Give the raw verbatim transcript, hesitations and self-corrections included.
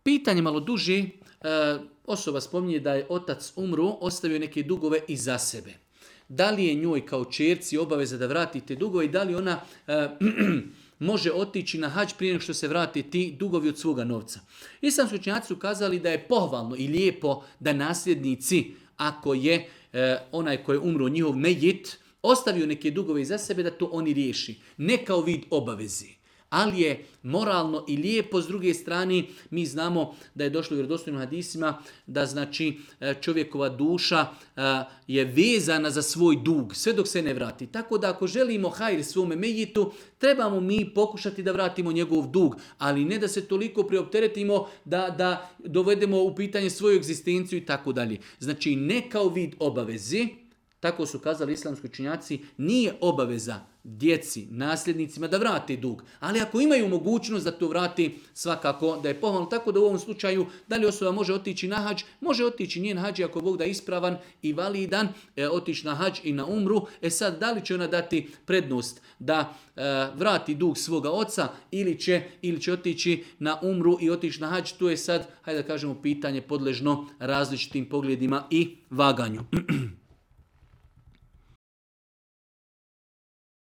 Pitanje malo duže, e, osoba spominje da je otac umro, ostavio neke dugove iza sebe. Da li je njoj kao ćerci obaveza da vrati te dugove i da li ona e, može otići na hadž prije nego što se vrati ti dugovi od svoga novca? Islamski učenjaci su kazali da je pohvalno i lijepo da nasljednici, ako je e, onaj koji je umro njihov mejit, ostavio neke dugove iza sebe, da to oni riješi. Ne kao vid obavezi. Ali je moralno i lijepo, s druge strane, mi znamo da je došlo u vjerodostojnim hadisima da znači čovjekova duša je vezana za svoj dug, sve dok se ne vrati. Tako da ako želimo hajr svome mejitu, trebamo mi pokušati da vratimo njegov dug, ali ne da se toliko preopteretimo da, da dovedemo u pitanje svoju egzistenciju i tako dalje. Znači ne kao vid obavezi, tako su kazali islamski učenjaci, nije obaveza djeci, nasljednicima da vrate dug. Ali ako imaju mogućnost da to vrati, svakako da je pohvalno. Tako da u ovom slučaju, da li osoba može otići na hadž? Može otići njen hadž ako Bog da ispravan i validan, e, otići na hadž i na umru. E sad, da li će ona dati prednost da e, vrati dug svoga oca ili će, ili će otići na umru i otići na hadž? To je sad, hajde da kažemo, pitanje podležno različitim pogledima i vaganju.